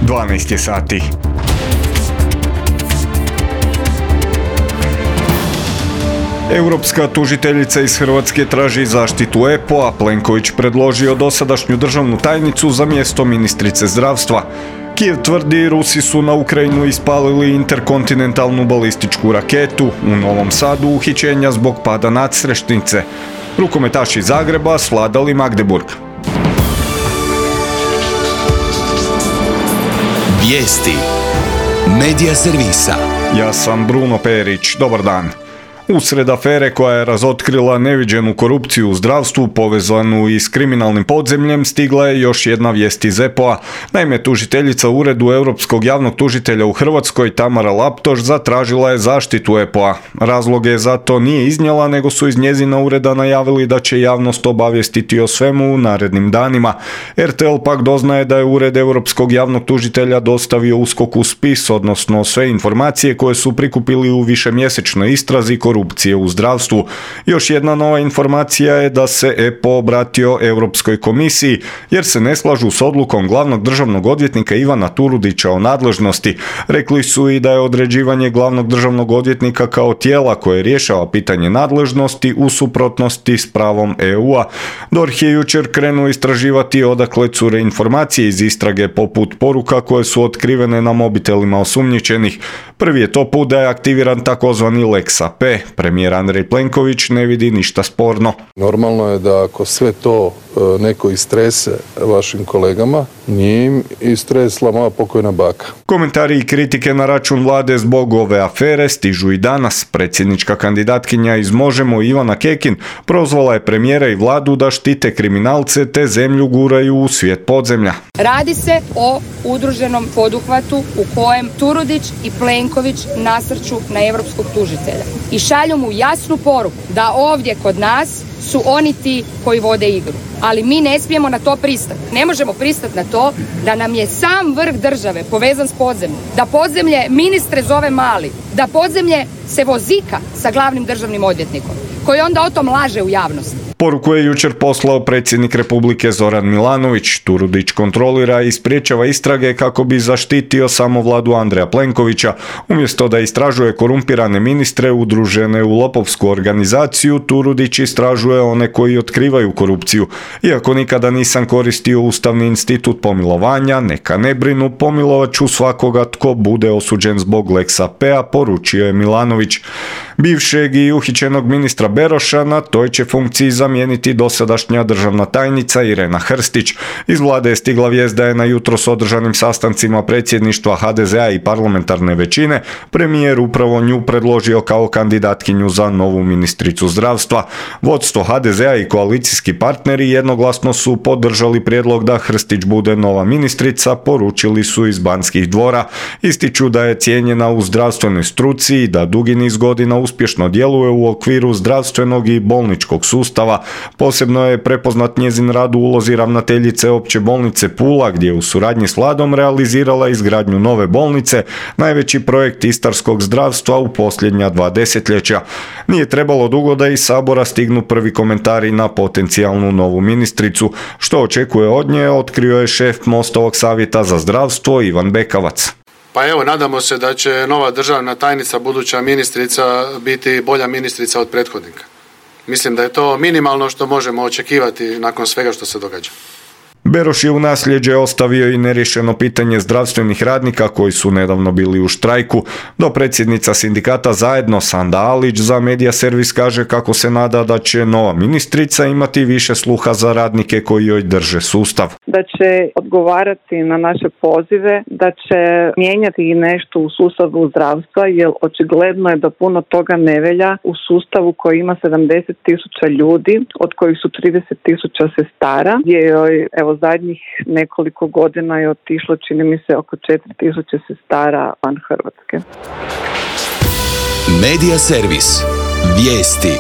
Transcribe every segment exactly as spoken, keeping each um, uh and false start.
dvanaest je sati. Europska tužiteljica iz Hrvatske traži zaštitu E P O, a Plenković predložio dosadašnju državnu tajnicu za mjesto ministrice zdravstva. Kijev tvrdi Rusi su na Ukrajinu ispalili interkontinentalnu balističku raketu. U Novom Sadu uhićenja zbog pada nadstrešnice. Rukometaši Zagreba svladali Magdeburg. Vijesti Medija servisa. Ja sam Bruno Perić. Dobar dan. Usred afere koja je razotkrila neviđenu korupciju u zdravstvu povezanu i s kriminalnim podzemljem stigla je još jedna vijest iz E P O-a. Naime, tužiteljica u Uredu Europskog javnog tužitelja u Hrvatskoj Tamara Laptoš zatražila je zaštitu E P O-a. Razloge za to nije iznijela, nego su iz njezina ureda najavili da će javnost obavijestiti o svemu u narednim danima. R T L pak doznaje da je Ured Europskog javnog tužitelja dostavio U S K O K-u spis, odnosno sve informacije koje su prikupili u višemjesečnoj istrazi korupcije u zdravstvu. Još jedna nova informacija je da se E P O obratio Europskoj komisiji jer se ne slažu s odlukom glavnog državnog odvjetnika Ivana Turudića o nadležnosti. Rekli su i da je određivanje glavnog državnog odvjetnika kao tijela koje rješava pitanje nadležnosti u suprotnosti s pravom E U-a. D O R H je jučer krenuo istraživati odakle cure informacije iz istrage poput poruka koje su otkrivene na mobitelima osumnjičenih. Prvi je to put da je aktiviran takozvani Lex A P. Premijer Andrej Plenković ne vidi ništa sporno. Normalno je da ako sve to neko istrese vašim kolegama, nije im istresla moja pokojna baka. Komentari i kritike na račun vlade zbog ove afere stižu i danas. Predsjednička kandidatkinja iz Možemo Ivana Kekin prozvala je premijera i vladu da štite kriminalce te zemlju guraju u svijet podzemlja. Radi se o udruženom poduhvatu u kojem Turudić i Plenković nasrću na europskog tužitelja i šalju mu jasnu poruku da ovdje kod nas su oni ti koji vode igru. Ali mi ne smijemo na to pristati. Ne možemo pristati na to da nam je sam vrh države povezan s podzemljem. Da podzemlje ministre zove Mali. Da podzemlje se vozika sa glavnim državnim odvjetnikom, koji onda o tom laže u javnosti. Poruku je jučer poslao predsjednik Republike Zoran Milanović. Turudić kontrolira i spriječava istrage kako bi zaštitio samo vladu Andreja Plenkovića. Umjesto da istražuje korumpirane ministre udružene u lopovsku organizaciju, Turudić istražuje one koji otkrivaju korupciju. Iako nikada nisam koristio ustavni institut pomilovanja, neka ne brinu, pomilovat ću svakoga tko bude osuđen zbog Lex A P-a, poručio je Milanović. Bivšeg i uhićenog ministra Beroša na toj će funkciji zamijeniti dosadašnja državna tajnica Irena Hrstić. Iz vlade je stigla vijest da je na jutros održanim sastancima predsjedništva H D Z A i parlamentarne većine premijer upravo nju predložio kao kandidatkinju za novu ministricu zdravstva. Vodstvo H D Z A i koalicijski partneri jednoglasno su podržali prijedlog da Hrstić bude nova ministrica, poručili su iz Banskih dvora. Ističu da je cijenjena u zdravstvenoj struci i da dugi niz godina uspješno djeluje u okviru zdravstvenog i bolničkog sustava. Posebno je prepoznat njezin rad u ulozi ravnateljice Opće bolnice Pula, gdje je u suradnji s vladom realizirala izgradnju nove bolnice, najveći projekt istarskog zdravstva u posljednja dva desetljeća. Nije trebalo dugo da iz Sabora stignu prvi komentari na potencijalnu novu ministricu. Što očekuje od nje, otkrio je šef Mostovog savjeta za zdravstvo Ivan Bekavac. Pa evo, nadamo se da će nova državna tajnica, buduća ministrica, biti bolja ministrica od prethodnika. Mislim da je to minimalno što možemo očekivati nakon svega što se događa. Beroš je u nasljeđe ostavio i neriješeno pitanje zdravstvenih radnika koji su nedavno bili u štrajku. Dopredsjednica sindikata Zajedno Sanda Alić za Medija servis kaže kako se nada da će nova ministrica imati više sluha za radnike koji joj drže sustav. Da će odgovarati na naše pozive, da će mijenjati i nešto u sustavu zdravstva, jer očigledno je da puno toga ne velja u sustavu koji ima sedamdeset tisuća ljudi, od kojih su trideset tisuća sestara, gdje joj, evo, zadnjih nekoliko godina je otišlo, čini mi se, oko četiri tisuće sestara van Hrvatske. Medija servis. Vijesti.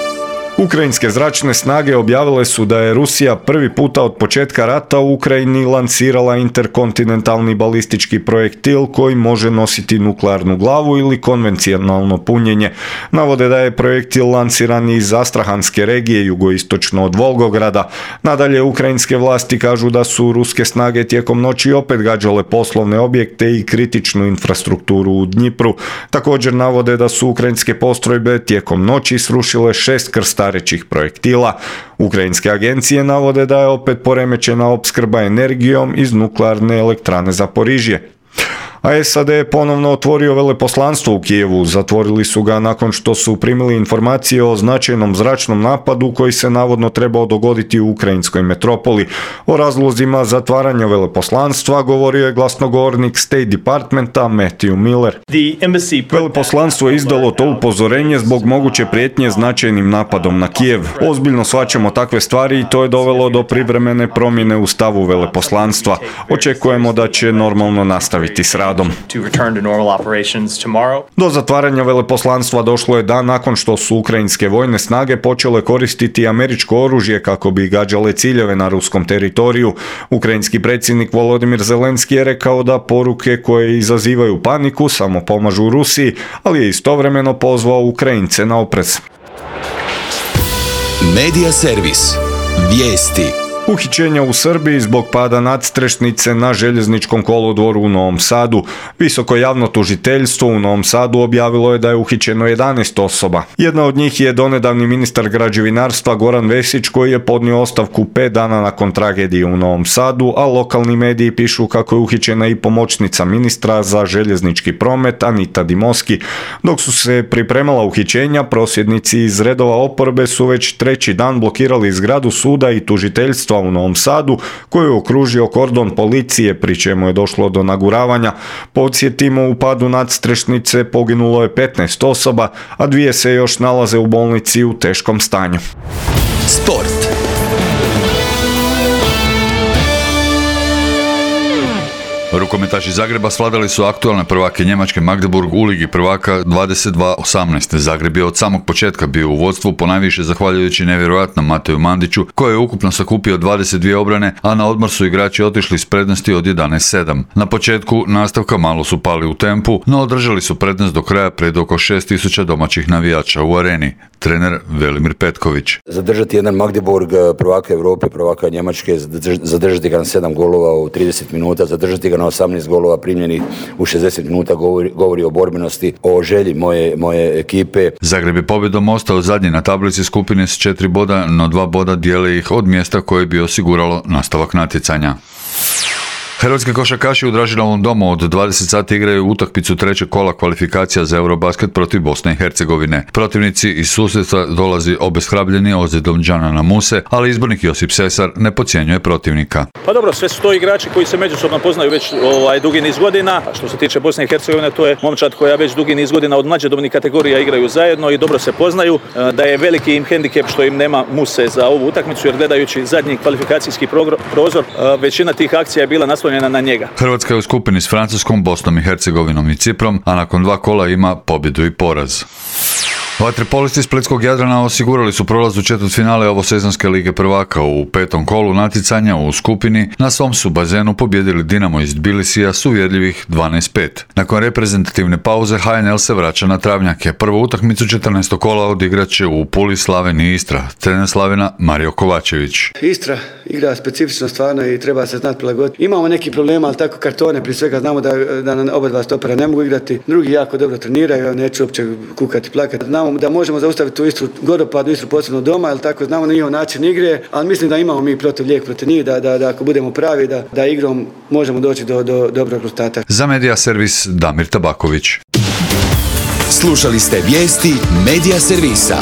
Ukrajinske zračne snage objavile su da je Rusija prvi puta od početka rata u Ukrajini lansirala interkontinentalni balistički projektil koji može nositi nuklearnu glavu ili konvencionalno punjenje. Navode da je projektil lansiran iz Astrahanske regije jugoistočno od Volgograda. Nadalje, ukrajinske vlasti kažu da su ruske snage tijekom noći opet gađale poslovne objekte i kritičnu infrastrukturu u Dnjipru. Također navode da su ukrajinske postrojbe tijekom noći srušile šest krstarećih projektila. Ukrajinske agencije navode da je opet poremećena opskrba energijom iz nuklearne elektrane Zaporižje. A S A D je ponovno otvorio veleposlanstvo u Kijevu. Zatvorili su ga nakon što su primili informacije o značajnom zračnom napadu koji se navodno trebao dogoditi u ukrajinskoj metropoli. O razlozima zatvaranja veleposlanstva govorio je glasnogovornik State Departmenta Matthew Miller. Veleposlanstvo je izdalo to upozorenje zbog moguće prijetnje značajnim napadom na Kijev. Ozbiljno shvaćamo takve stvari i to je dovelo do privremene promjene u stavu veleposlanstva. Očekujemo da će normalno nastaviti s radom. Do zatvaranja veleposlanstva došlo je dan nakon što su ukrajinske vojne snage počele koristiti američko oružje kako bi gađale ciljeve na ruskom teritoriju. Ukrajinski predsjednik Volodimir Zelenski je rekao da poruke koje izazivaju paniku samo pomažu Rusiji, ali je istovremeno pozvao Ukrajince na oprez. Medija servis. Vijesti. Uhićenja u Srbiji zbog pada nadstrešnice na željezničkom kolodvoru u Novom Sadu. Visoko javno tužiteljstvo u Novom Sadu objavilo je da je uhićeno jedanaest osoba. Jedna od njih je donedavni ministar građevinarstva Goran Vesić koji je podnio ostavku pet dana nakon tragedije u Novom Sadu, a lokalni mediji pišu kako je uhićena i pomoćnica ministra za željeznički promet Anita Dimoski. Dok su se pripremala uhićenja, prosvjednici iz redova oporbe su već treći dan blokirali zgradu suda i tužiteljstva u Novom Sadu, koju je okružio kordon policije, pri čemu je došlo do naguravanja. Podsjetimo, u padu nadstrešnice poginulo je petnaest osoba, a dvije se još nalaze u bolnici u teškom stanju. Sport. Rukometaši Zagreba svladali su aktualne prvake Njemačke Magdeburg u Ligi prvaka dvadeset dva osamnaest. Zagreb je od samog početka bio u vodstvu, ponajviše zahvaljujući nevjerojatnom Mateju Mandiću, koji je ukupno sakupio dvadeset dvije obrane, a na odmor su igrači otišli s prednosti od jedanaest sedam. Na početku nastavka malo su pali u tempu, no održali su prednost do kraja pred oko šest tisuća domaćih navijača u areni. Trener Velimir Petković. Zadržati jedan Magdeburg, prvaka Europe, prvaka Njemačke, zadržati ga na sedam golova u trideset minuta, zadržati ga na osamnaest golova primljenih u šezdeset minuta govori, govori o borbenosti, o želji moje, moje ekipe. Zagreb je pobjedom ostao zadnji na tablici skupine s četiri boda, no dva boda dijele ih od mjesta koje bi osiguralo nastavak natjecanja. Hrvatski košarkaši u Dražinovom domu od dvadeset sati igraju utakmicu trećeg kola kvalifikacija za Eurobasket protiv Bosne i Hercegovine. Protivnici iz susjedstva dolazi obeshrabljeni ozljedom Džanana Muse, ali izbornik Josip Sesar ne podcjenjuje protivnika. Pa dobro, sve su to igrači koji se međusobno poznaju već ovaj, dugi niz godina. A što se tiče Bosne i Hercegovine, to je momčad koja već dugi niz godina od mlađe dobnih kategorija igraju zajedno i dobro se poznaju. Da je veliki im hendikep što im nema Muse za ovu utakmicu, jer gledajući zadnji kvalifikacijski prozor, većina tih akcija je bila naslonjena na njega. Hrvatska je u skupini s Francuskom, Bosnom i Hercegovinom i Ciprom, a nakon dva kola ima pobjedu i poraz. Vaterpolisti Splitskog Jadrana osigurali su prolaz u četvrtfinale ovosezonske Lige prvaka. U petom kolu natjecanja u skupini na svom su bazenu pobjedili Dinamo iz Tbilisija s uvjerljivih dvanaest pet. Nakon reprezentativne pauze H N L se vraća na travnjake. Prvu utakmicu četrnaestog kola odigrat će u Puli, Slaven i Istra. Trener Slavena Mario Kovačević. Istra igra specifično stvarno i treba se znati prilagoditi. Imamo neki problema, ali tako kartone, prije svega znamo da, da oba dva stopera ne mogu igrati. Drugi jako dobro treniraju, neću uopće kukati, plakati. Znamo da možemo zaustaviti tu Istru, Godopad, Istru posebno doma, ali tako znamo njihov način igre, ali mislim da imamo mi protiv lijek protiv njih, da, da, da ako budemo pravi, da, da igrom možemo doći do, do dobrog rezultata. Za Medija servis Damir Tabaković. Slušali ste vijesti Medija servisa.